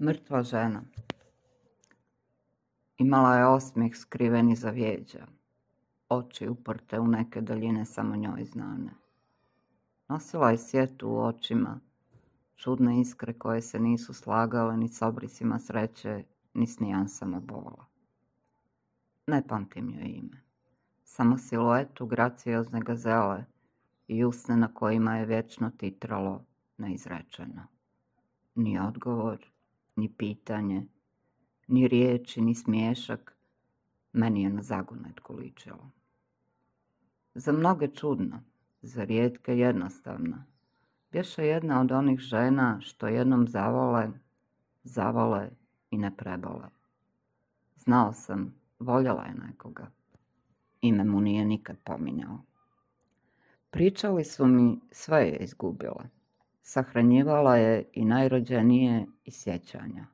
Mrtva žena. Imala je osmijeh skriven iza vjeđa, oči uprte u neke daljine samo njoj znane. Nosila je sjetu u očima, čudne iskre koje se nisu slagale ni s obrisima sreće, ni s nijansama bola. Ne pamtim joj ime, samo siluetu graciozne gazele i usne na kojima je vječno titralo neizrečeno. Ni odgovor, ni pitanje, ni riječi, ni smiješak, meni je na zagonetku ličilo. Za mnoge čudno, za rijetke jednostavno, bješe jedna od onih žena što jednom zavole i ne prebole. Znao sam, voljela je nekoga. Ime mu nije nikad pominjao. Pričali su mi, sve je izgubila. Sahranjivala je i najrođenije i sjećanja.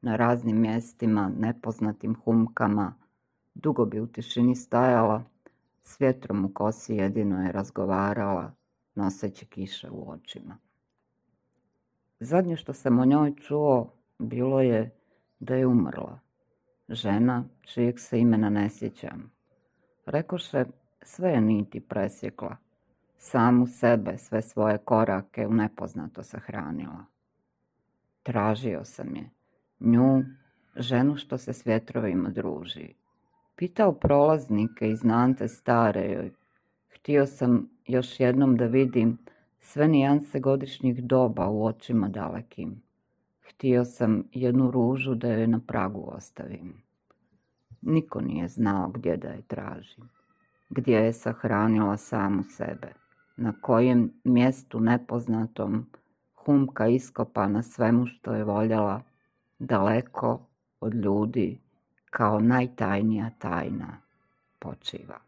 Na raznim mjestima, nepoznatim humkama, dugo bi u tišini stajala, s vjetrom u kosi jedino je razgovarala, noseći kiše u očima. Zadnje što sam o njoj čuo bilo je da je umrla. Žena čijeg se imena ne sjećam. Rekoše, sve je niti presjekla. Samu sebe, sve svoje korake u nepoznato sahranila. Tražio sam je, nju, ženu što se s vjetrovima druži. Pitao prolaznike i znance stare joj. Htio sam još jednom da vidim sve nijanse godišnjih doba u očima dalekim. Htio sam jednu ružu da joj na pragu ostavim. Niko nije znao gdje da je tražim, gdje je sahranila samu sebe, na kojem mjestu nepoznatom humka iskopana svemu što je voljela, daleko od ljudi, kao najtajnija tajna počiva.